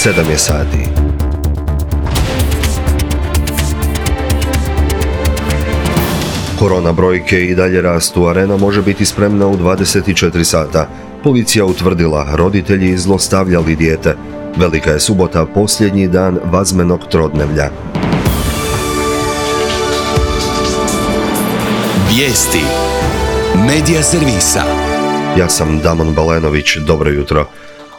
7 je sati. Korona brojke i dalje rastu, Arena može biti spremna u 24 sata. Policija utvrdila, roditelji zlostavljali dijete. Velika je subota, posljednji dan vazmenog trodnevlja. Vijesti Medija servisa. Ja sam Damon Balenović, dobro jutro.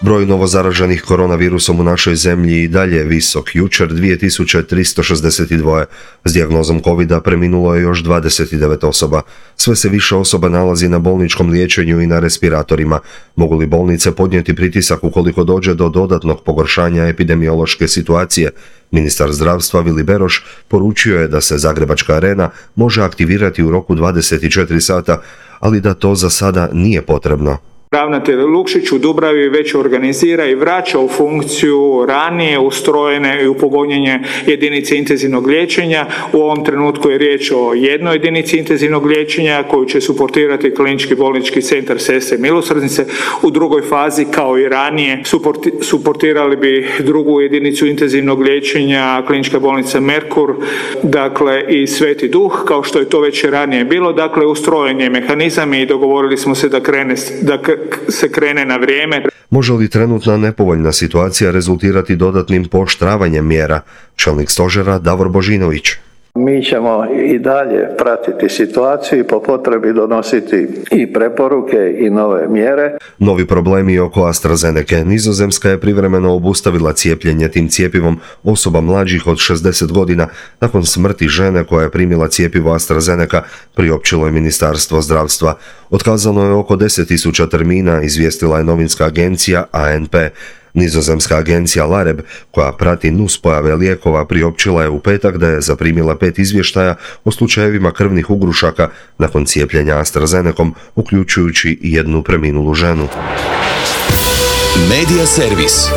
Broj novozaraženih koronavirusom u našoj zemlji i dalje je visok. Jučer 2362. S dijagnozom covida preminulo je još 29 osoba. Sve se više osoba nalazi na bolničkom liječenju i na respiratorima. Mogu li bolnice podnijeti pritisak ukoliko dođe do dodatnog pogoršanja epidemiološke situacije? Ministar zdravstva Vili Beroš poručio je da se Zagrebačka Arena može aktivirati u roku 24 sata, ali da to za sada nije potrebno. Ravnatelj Lukšić u Dubravi već organizira i vraća u funkciju ranije ustrojene i upogonjene jedinice intenzivnog liječenja. U ovom trenutku je riječ o jednoj jedinici intenzivnog liječenja koju će suportirati Klinički bolnički centar Sestre milosrdnice. U drugoj fazi, kao i ranije, suportirali bi drugu jedinicu intenzivnog liječenja Klinička bolnica Merkur, dakle i Sveti Duh, kao što je to već ranije bilo. Dakle, ustrojen je mehanizam i dogovorili smo se da se krene na vrijeme. Može li trenutna nepovoljna situacija rezultirati dodatnim pooštravanjem mjera? Čelnik stožera Davor Božinović. Mi ćemo i dalje pratiti situaciju i po potrebi donositi i preporuke i nove mjere. Novi problemi oko AstraZeneke. Nizozemska je privremeno obustavila cijepljenje tim cjepivom osoba mlađih od 60 godina nakon smrti žene koja je primila cjepivo AstraZeneka, priopćilo je Ministarstvo zdravstva. Otkazano je oko 10.000 termina, izvijestila je novinska agencija ANP. Nizozemska agencija LAREB, koja prati nuspojave lijekova, priopćila je u petak da je zaprimila 5 izvještaja o slučajevima krvnih ugrušaka nakon cijepljenja AstraZenecom, uključujući i jednu preminulu ženu. Medija servis.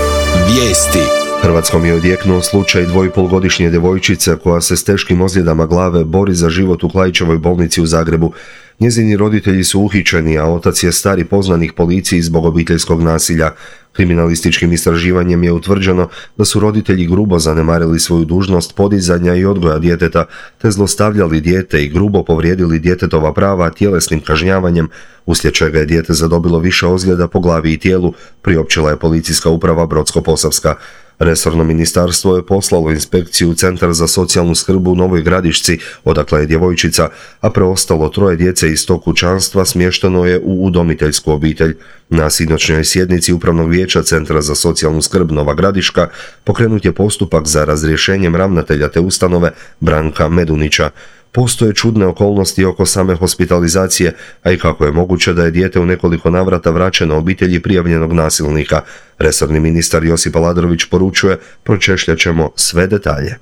Vijesti. Hrvatskom je odjeknuo slučaj 2,5-godišnje djevojčice koja se s teškim ozljedama glave bori za život u Klaićevoj bolnici u Zagrebu. Njezini roditelji su uhićeni, a otac je stari poznanik policiji zbog obiteljskog nasilja. Kriminalističkim istraživanjem je utvrđeno da su roditelji grubo zanemarili svoju dužnost podizanja i odgoja djeteta, te zlostavljali dijete i grubo povrijedili djetetova prava tjelesnim kažnjavanjem, uslijed čega je dijete zadobilo više ozljeda po glavi i tijelu, priopćila je policijska uprava Brodsko-posavska. Resorno ministarstvo je poslalo inspekciju u Centar za socijalnu skrb u Novoj Gradišci, odakle je djevojčica, a preostalo 3 djece iz tog kućanstva smješteno je u udomiteljsku obitelj. Na sinoćnjoj sjednici Upravnog vijeća Centra za socijalnu skrb Nova Gradiška pokrenut je postupak za razrješenjem ravnatelja te ustanove Branka Medunića. Postoje čudne okolnosti oko same hospitalizacije, a i kako je moguće da je dijete u nekoliko navrata vraćeno obitelji prijavljenog nasilnika. Resorni ministar Josip Aladrović poručuje, pročešljat ćemo sve detalje.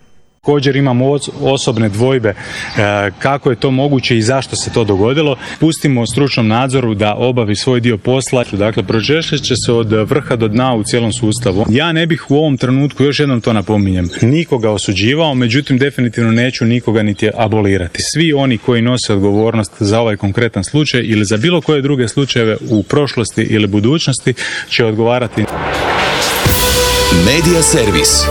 Također imamo osobne dvojbe kako je to moguće i zašto se to dogodilo. Pustimo stručnom nadzoru da obavi svoj dio posla. Dakle, pročešljat će se od vrha do dna u cijelom sustavu. Ja ne bih u ovom trenutku, još jednom to napominjem, nikoga osuđivao, međutim definitivno neću nikoga niti abolirati. Svi oni koji nose odgovornost za ovaj konkretan slučaj ili za bilo koje druge slučajeve u prošlosti ili budućnosti će odgovarati. Medija servis.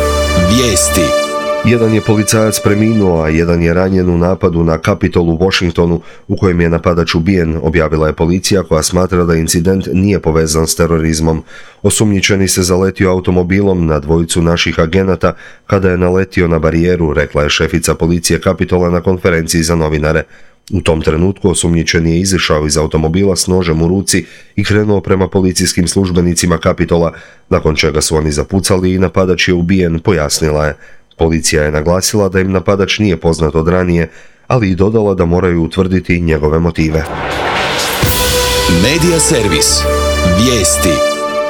Vijesti. Jedan je policajac preminuo, a jedan je ranjen u napadu na Capitol u Washingtonu u kojem je napadač ubijen, objavila je policija koja smatra da incident nije povezan s terorizmom. Osumnjičeni se zaletio automobilom na dvojicu naših agenata kada je naletio na barijeru, rekla je šefica policije Capitola na konferenciji za novinare. U tom trenutku osumnjičeni je izišao iz automobila s nožem u ruci i krenuo prema policijskim službenicima Capitola, nakon čega su oni zapucali i napadač je ubijen, pojasnila je. Policija je naglasila da im napadač nije poznat od ranije, ali i dodala da moraju utvrditi njegove motive. Medija servis. Vijesti.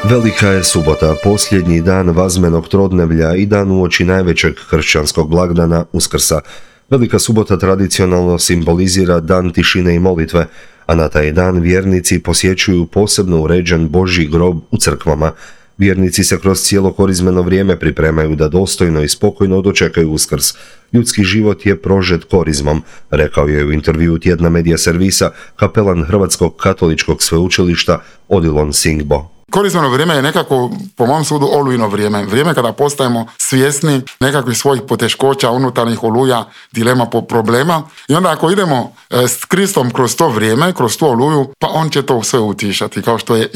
Velika je subota, posljednji dan vazmenog trodnevlja i dan uoči najvećeg kršćanskog blagdana Uskrsa. Velika subota tradicionalno simbolizira dan tišine i molitve, a na taj dan vjernici posjećuju posebno uređen Božji grob u crkvama. Vjernici se kroz cijelo korizmeno vrijeme pripremaju da dostojno i spokojno dočekaju Uskrs. Ljudski život je prožet korizmom, rekao je u intervjuu tjedna Medija servisa kapelan Hrvatskog katoličkog sveučilišta Odilon Singbo. korisno vrijeme je nekako, po mom sudu, olujno vrijeme. Vrijeme kada postajemo svjesni nekakvih svojih poteškoća, unutarnjih oluja, dilema, problema. I onda ako idemo s Kristom kroz to vrijeme, kroz tu oluju, pa on će to sve utišati, kao što je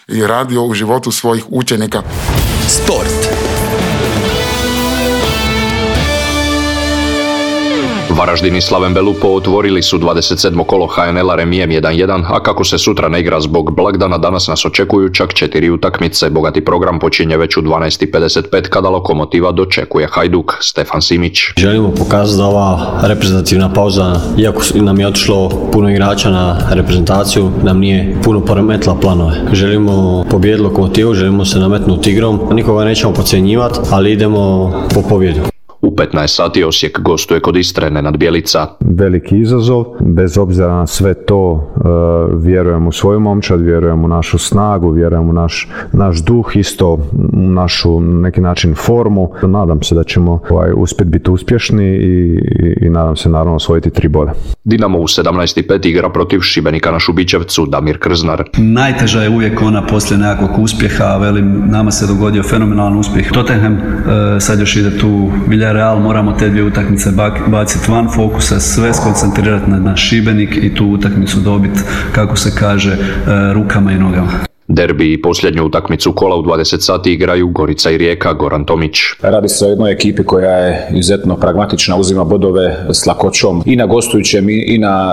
i radio u životu svojih učenika. Sport. Varaždin i Slaven Belupo otvorili su 27. kolo HNL-a remijem 1-1, a kako se sutra ne igra zbog blagdana, danas nas očekuju čak 4 utakmice. Bogati program počinje već u 12:55 kada Lokomotiva dočekuje Hajduk. Stefan Simić. Želimo pokazati da ova reprezentativna pauza, iako nam je otišlo puno igrača na reprezentaciju, nam nije puno poremetila planove. Želimo pobijediti Lokomotivu, želimo se nametnuti igrom, nikoga nećemo podcjenjivati, ali idemo po pobjedu. U 15 sati Osijek gostuje kod Istre, Nenad Bjelica. Veliki izazov, bez obzira na sve to vjerujem u svoju momčad, vjerujem u našu snagu, vjerujem u naš duh, isto u našu neki način formu. Nadam se da ćemo uspjeti biti uspješni i nadam se naravno osvojiti 3 boda. Dinamo u 17:05 igra protiv Šibenika na Šubićevcu, Damir Krznar. Najteža je uvijek ona poslije nekakvog uspjeha, velim, nama se dogodio fenomenalan uspjeh. Tottenham, sad još ide tu Villarreal, moramo te 2 utakmice baciti van fokusa, sve skoncentrirati na Šibenik i tu utakmicu dobiti, kako se kaže, rukama i nogama. Derbi i posljednju utakmicu kola u 20 sati igraju Gorica i Rijeka, Goran Tomić. Radi se o jednoj ekipi koja je izuzetno pragmatična, uzima bodove s lakoćom i na gostujućem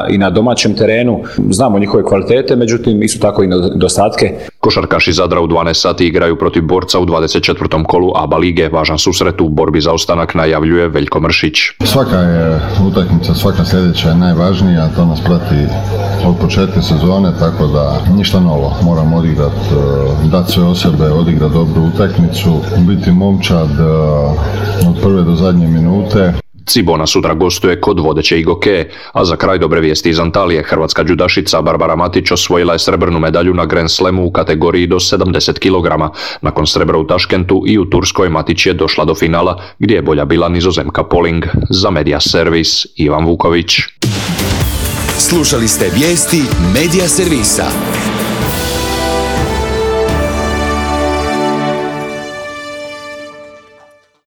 i na domaćem terenu. Znamo njihove kvalitete, međutim isto tako i nedostatke. Košarkaši Zadra u 12 sati igraju protiv Borca u 24. kolu ABA lige. Važan susret u borbi za ostanak najavljuje Veljko Mršić. Svaka je utakmica, svaka sljedeća je najvažnija, to nas prati od početka sezone, tako da ništa novo. Moramo odigrati, dati sve o sebe, odigrati dobru utakmicu, biti momčad od prve do zadnje minute. Cibona sutra gostuje kod vodeće Igoke, a za kraj dobre vijesti iz Antalije. Hrvatska džudašica Barbara Matić osvojila je srebrnu medalju na Grand Slamu u kategoriji do 70 kg. Nakon srebra u Taškentu i u Turskoj Matić je došla do finala gdje je bolja bila Nizozemka Poling. Za Media Servis Ivan Vuković. Slušali ste vijesti Media Servisa.